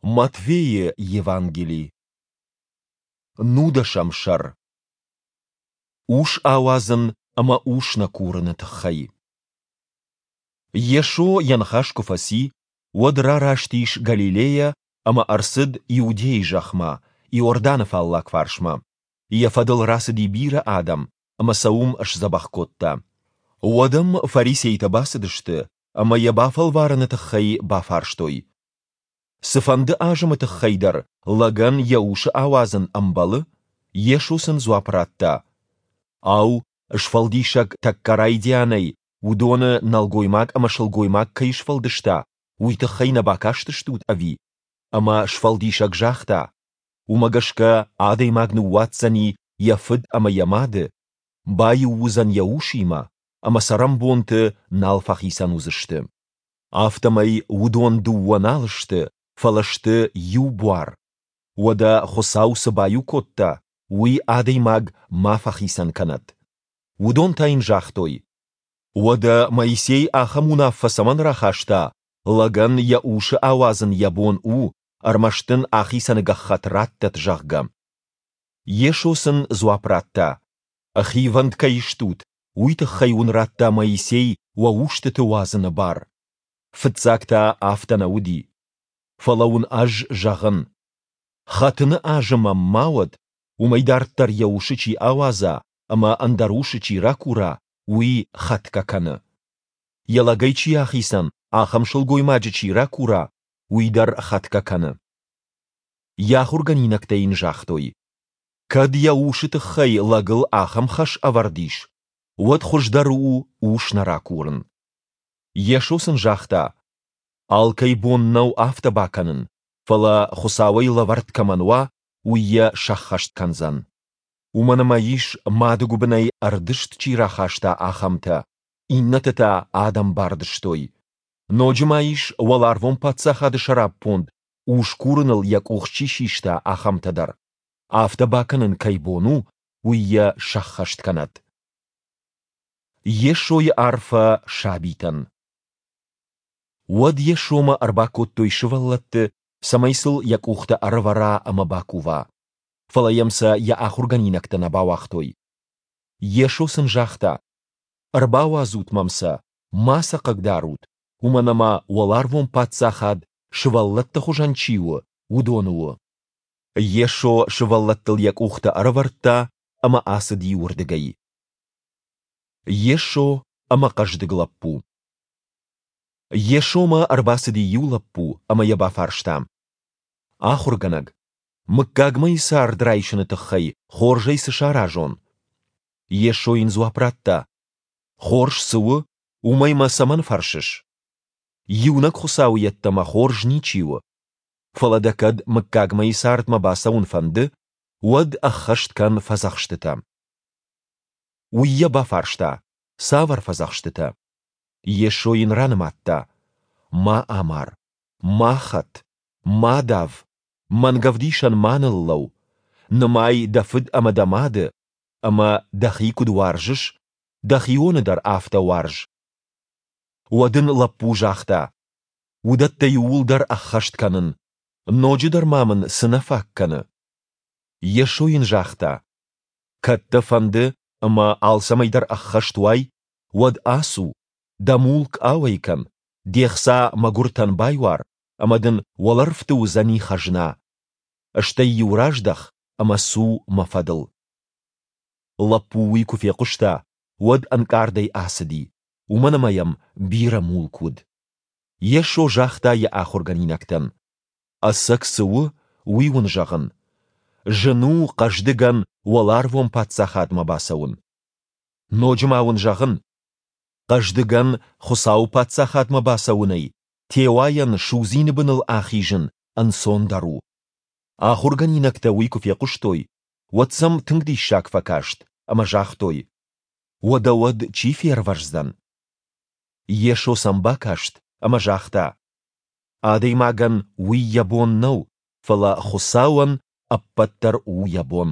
Матфейы Евангели, нудӕсӕм сӕр. Ус ауадзын ӕмӕ ус нӕ курыны тыххӕй. Йесо йӕ ныхас куы фӕци, уӕд рараст ис Галилейӕ ӕмӕ ӕрцыд Иудейы зӕхмӕ, Иорданы фаллаг фарсмӕ. Йӕ фӕдыл рацыди бирӕ адӕм, ӕмӕ сӕ уым сдзӕбӕх кодта. Уӕд ӕм фарисейтӕ бацыдысты ӕмӕ йӕ бафӕлварыны тыххӕй бафарстой: Цыфӕнды азымы тыххӕй дӕр лӕгӕн йӕ усы ауадзын ӕмбӕлы? Йесо сын дзуапп радта: Ау, Сфӕлдисӕг тӕккӕ райдианӕй уыдоны нӕлгоймаг ӕмӕ сылгоймаг кӕй сфӕлдыста, уый тыххӕй нӕ бакастыстут, ӕви? Ӕмӕ Сфӕлдисӕг загъта: Уымӕ гӕсгӕ адӕймаг ныууадздзӕни йӕ фыд ӕмӕ йӕ мады, баиу уыдзӕн йӕ усимӕ, ӕмӕ цӕрӕнбонты нал фӕхицӕн уыдзысты. Афтӕмӕй уыдон дыууӕ нал сты, фӕлӕ сты иу буар. Уӕдӕ Хуыцау цы баиу кодта, уый адӕймаг ма фӕхицӕн кӕнӕд. Уыдон та йын загътой: Уӕдӕ Моисей ахӕм уынаффӕ цӕмӕн рахаста, лӕгӕн йӕ усы ауадзын йӕ бон у, ӕрмӕст ын ахицӕны гӕххӕтт раттӕд, зӕгъгӕ? Йесо сын дзуапп радта: Хивӕнд кӕй стут, уый тыххӕй уын радта Моисей уӕ устыты уадзыны бар. Фыццаг та афтӕ нӕ уыди. Фӕлӕ уын ӕз зӕгъын: хӕтыны азы мӕм ма уӕд, уымӕй дарддӕр йӕ усы чи ауадза ӕмӕ ӕндӕр усы чи ракура, уый хӕтгӕ кӕны. Йӕ лӕгӕй чи ахицӕн, ахӕм сылгоймаджы чи ракура, уый дӕр хӕтгӕ кӕны. Йӕ ахуыргӕнинӕгтӕ йын загътой: Кӕд йӕ усы тыххӕй лӕгыл ахӕм хӕс ӕвӕрд ис, уӕд хуыздӕр у ус нӕ ракурын. Йесо сын загъта: Алкӕй бон нӕу афтӕ бакӕнын, фӕлӕ Хуыцауӕй лӕвӕрд кӕмӕн уа, уый йӕ сӕххӕст кӕндзӕн. Уымӕн ӕмӕ ис, мады гуыбынӕй ӕрдызт чи рахаста, ахӕмтӕ, иннӕты та адӕм бардызтой. Ноджы ма ис, уӕларвон паддзахады сӕраппонд ус курыныл йӕ къух чи систа, ахӕмтӕ дӕр. Афтӕ бакӕнын кӕй бон у, уый йӕ сӕххӕст кӕнӕд. Йесойы арфӕ сабитӕн. Уӕд Йесомӕ ӕрбакодтой сывӕллӕтты, цӕмӕй сыл йӕ къухтӕ ӕрӕвӕра ӕмӕ бакува. Фӕлӕ йӕм сӕ йӕ ахуыргӕнинӕгтӕ нӕ бауагътой. Йесо сын загъта: Ӕрбауадзут мӕм сӕ, ма сӕ хъыгдарут, уымӕн ӕмӕ уӕларвон паддзахад, сывӕллӕтты хуызӕн чи у, уыдоны у. Йесо сывӕллӕттыл йӕ къухтӕ ӕрӕвӕрдта ӕмӕ ацыди уырдыгӕй. Йесо ӕмӕ хъӕздыг лӕппу. Йесомӕ ӕрбацыди иу лӕппу ӕмӕ йӕ бафарста: Ахуыргӕнӕг, мыггагмӕйы цард райсыны тыххӕй хорзӕй цы саразон? Йесо йын дзуапп радта: Хорз цы у, уымӕй мӕ цӕмӕн фӕрсыс? Иунӕг Хуыцауы йеддӕмӕ хорз ничи у. Фӕлӕ дӕ кӕд мыггагмӕйы цардмӕ бацӕуын фӕнды, уӕд ӕххӕст кӕн фӕдзӕхстытӕ. Уый йӕ бафарста, цавӕр фӕдзӕхстытӕ? Йесо йын ранымадта: Ма амар, ма хӕт, ма дав, мӕнгӕвдисӕн ма ныллӕу, нымай дӕ фыд ӕмӕ дӕ мады, ӕмӕ дӕхи куыд уарзыс, дӕхионы дӕр афтӕ уарз. Уӕд ын лӕппу загъта: Уыдӕттӕ иууылдӕр ӕххӕст кӕнын, ноджыдӕр ма мын цы нӕ фаг кӕны? Йесо йын загъта: Кӕд дӕ фӕнды, ӕмӕ алцӕмӕй дӕр ӕххӕст уай, уӕд ацу, дӕ мулк ауӕй кӕн, де хца мӕгуыртӕн байуар, ӕмӕ дын уӕлӕрвты уыдзӕни хӕзна. Стӕй-иу раздӕх ӕмӕ цу мӕ фӕдыл. Лӕппу уый куы фехъуыста, уӕд ӕнкъардӕй ацыди, уымӕн ӕмӕ йӕм бирӕ мулк уыд. Йесо загъта йӕ ахуыргӕнинӕгтӕн: Ӕцӕг цы у, уый уын зӕгъын. Зын у хъӕздыгӕн уӕларвон паддзахадмӕ бацӕуын. Ноджы ма уын зӕгъын, хъӕздыгӕн Хуыцауы паддзахадмӕ бацӕуынӕй теуайӕн судзины быныл ахизын ӕнцондӕр у. Ахуыргӕнинӕгтӕ уый куы фехъуыстой, уӕд сӕм тынг диссаг фӕкаст ӕмӕ загътой: Уӕдӕ уӕд чи фервӕздзӕн? Йесо сӕм бакаст ӕмӕ загъта: Адӕймагӕн уый йӕ бон нӕу, фӕлӕ Хуыцауӕн ӕппӕт дӕр у йӕ бон.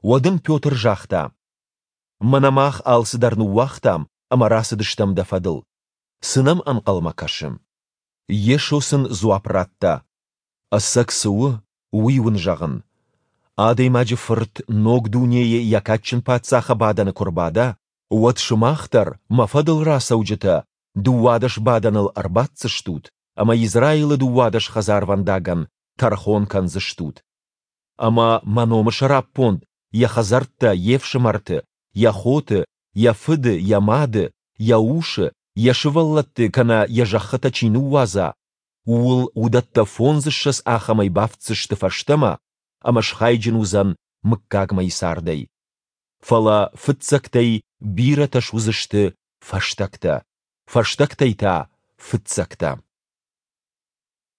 Уӕд ын Петр загъта: Мӕнӕ мах алцыдӕр ныууагътам ӕмӕ рацыдыстӕм дӕ фӕдыл. Цы нӕм ӕнхъӕлмӕ кӕсы? Йесо сын дзуапп радта: Ӕцӕг цы у, уый уын зӕгъын. Адӕймаджы Фырт ног дунейы йӕ кадджын паддзахы бадӕны куы рбада, уӕд сымах дӕр, мӕ фӕдыл рацӕуджытӕ, 12 бадӕныл ӕрбаддзыстут ӕмӕ Израилы 12 хӕдзарвӕндагӕн тӕрхон кӕндзыстут. Ӕмӕ мӕ номы сӕраппонд йӕ хӕдзӕрттӕ, йе фсымӕрты, йӕ хоты, йӕ фыды, йӕ мады, йӕ усы, йӕ сывӕллӕтты кӕнӕ йӕ зӕххытӕ чи ныууадза, ууыл уыдӕттӕ фондзыссӕдз ахӕмӕй бафтдзысты фӕстӕмӕ ӕмӕ схайджын уыдзӕн мыггагмӕйы цардӕй. Фӕлӕ фыццӕгтӕй бирӕтӕ суыдзысты фӕстӕгтӕ, фӕстӕгтӕй та фыццӕгтӕ.